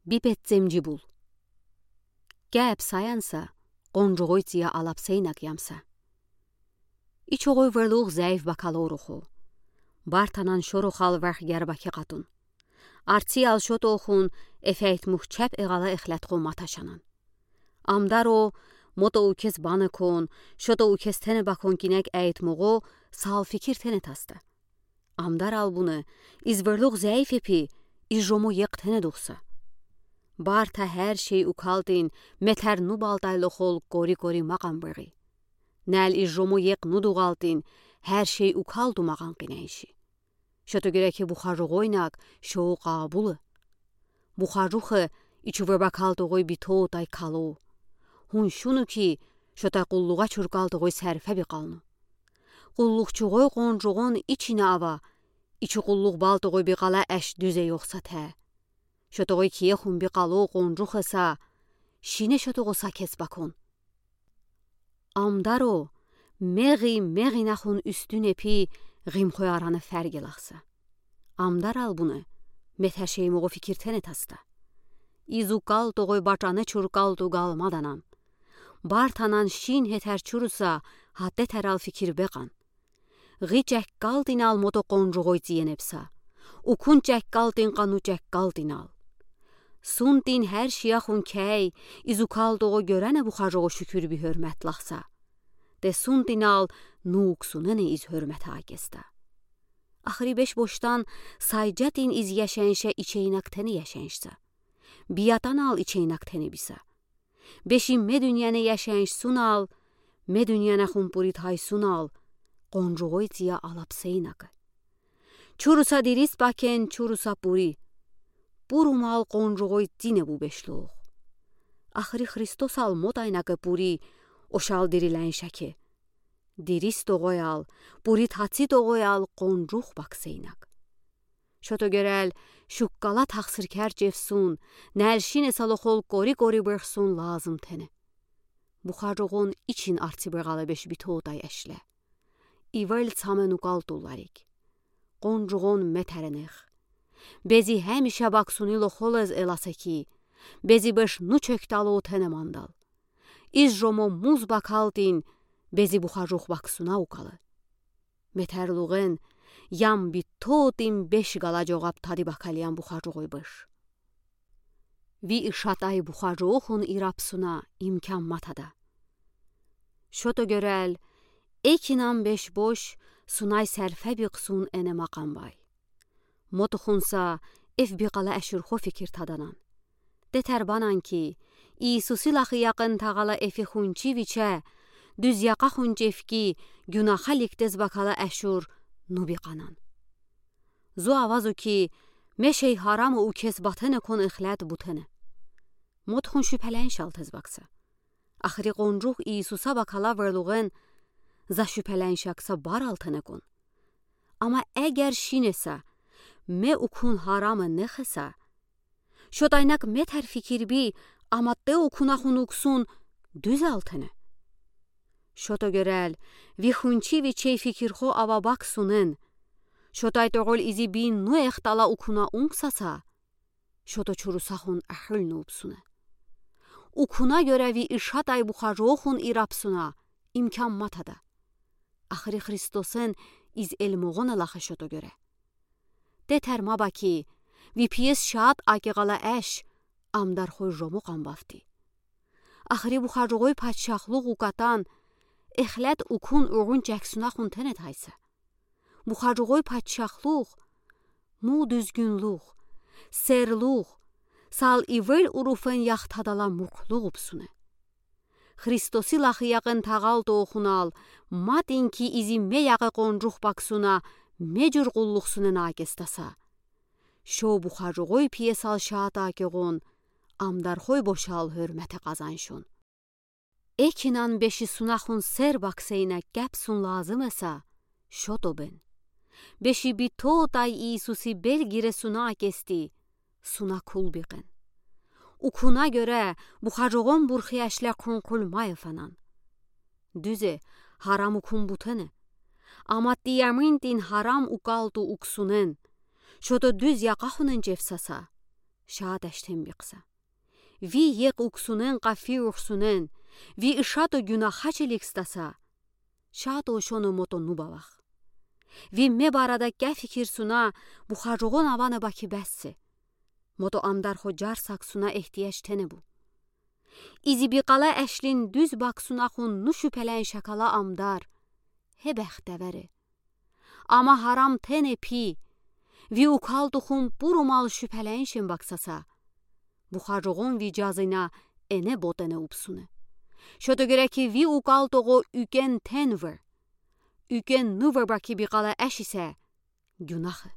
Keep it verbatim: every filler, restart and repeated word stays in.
Би пеццемджи бул. Кеп саянса, къонжугой ція алапсейнак ямса. Ичоғой верлух зяйф бакалорух о. Бартанан шорохал варх гербаки къатун. Арциял шотохун эфейтмух чап эғала эхлятхо маташанан. Амдаро, мото укез баныкон, шото укез тенебакон кинек эйтмуғо сал фикир тенетаста. Амдар албуны, из верлух зяйф эпи, из жомо екъ тенедухса. Барта хер шей укалтин, метер ну балтай лохол кори-кори мақан бери. Нел из жомо екъ ну дуғалтин, хер шей укалту мақан къиненши. Шото герек бухажуғойнак шоу къабулы. Бухажухы ичуве бакалты ой битотай кало. Хун шуну ки, шота къуллуға чуркалты ой сарфа бикалну. Къуллухчуғой къонжуғон ичина ава, ичи къуллух балты ой бикала аш дүзе ёхса тэ. Шото ой кие хун бикало къонжухыса, шине шото ой сакес бакон. Амдаро, меғи меғина хун үстюн эпи, ғимхой араны фаргелахса. Амдар албуны, метер шей моғо фикир тенетаста. Из укалты ой бачаны чуркалту галмаданан. Бартанан шин хетер чуруса, хатте терал фикир беқан. Ғи чаккалтинал мото къонжуғой циенепса. Укун чаккалтин къану чаккалтинал. Сунтин хер шияхун кей, из укалты ой герена бухажуғо шукюр би хёрмет лахса. Те сунтинал нуксунене из хёрмет акеста. Ахри беш боштан сайджатин из яшанша ичейнак тене яшаншса. Биятанал ичейнак тене биса. Беши ме дунияны яшаншсунал, ме дунияна хун пури тайсунал, къонжуғой ція алапсейнакы. Чуруса дирис бакен, чуруса пури. Пурумал къонжуғой цине бу бешлух. Ахри Христосал мотайнакы пури, ошал дириляншаке. Дирис тоғоял, пури таци тоғоял къонжух баксейнак. Шото герел шуккала тахсыр керчевсун, нәлшине салохол кори-кори бехсун лазым тене. Бухажуғон ичин арци беғала беш битотай ашле. Ивел цамен укалтулларик. Къонжуғон метеренех. Бези хемиша баксуни лохолез эласеки. Бези беш ну чектало тене мандал. Из жомо муз бакалтин, бези бухажух баксуна укалы. Метерлуғен, ям битотин беш гала жоғап тади бакалиян бухажуғой беш. Ви ишатай бухажуғохун ирапсуна имкан матада. Шото герел, экинан беш бош, сунай сарфа биксун эне мақан бай. Мотохунса эф бикала ашурхо фикир таданан. Детер банан ки, Иисуси лахи якын тағала эфи хунчи виче, дуз яқа хунчи эф ки, гюнаха ликтез бакала ашур ну биканан. Зу авазу ки, ме шей харамы укез батене кон эхлят бутене. Мотохун шупеляншал тез бакса. Ахри къонжух Иисуса бакала верлуғен за шупеляншакса барал тене кон. Ама эгер шинеса, ме укун харамы нехеса, шотайнак метер фикир би, ама те укуна хун уксун дуз алтене. Шото герел, ви хунчи вичей фикирхо ава баксунен. Шотай тоғол изи би ну эхтала укуна унксаса. Шото чуруса хун ахыл ну упсуне. Укуна гере ви ишатай бухажуғохун ирапсуна имкан матада. Ахри Христосен из элмоғона лахы шото гере. Детер ма баки, ви пиес шат аки ғала аш, амдархой жомоқ амбафти. Ахри бухажуғой патшахлуғ укатан, эхлят укун уғун чаксуна хун тенет хайса. Бухажуғой патшахлуғ, му дүзгюнлуғ, серлуғ, сал ивел уруфен яхтадала муқлуғ упсуне. Христоси лахи яғын тағал тоохунал, матин ки изи ме яғы қонжух баксуна, ме жур ғуллухсуне накестаса. Шо бухажуғой пиесал шаата кеғон, амдархой бошал хөрмете қазаншун. Экинан беши сунахун сер баксейна кепсун лазым эса, шото бен. Беши битотай Иисуси бел гире суна кести, суна кул биғен. Укуна гере бухажуғон бурхи ашле хунхул майфанан. Дүзе, харам укун бутене. Ама тияминтин харам укалту уксунен. Шото дүз яқахунен чефсаса. Шаат эштен бикса. Ви екь уксунен къафи урсунен, ви ышато гюнахачиликстаса, шаат ошону мото нубалах. Ви меб арада кя фикир суна бухажогон авана баки бессе. Мото амдар хо джарсак суна ихтияч тенебу. Изи бикала эшлин дуз баксуна хун ну шупелен шакала амдар. Хе бехтевери. Ама харам тене пи. Ви укалту хун пурумал шупеленшин баксаса. Бухажогон ви джазына эне ботене упсуне. Шото гереки ви укалтого укен тенвер. Укен нувер баки бикала эшисе. Гюнахы.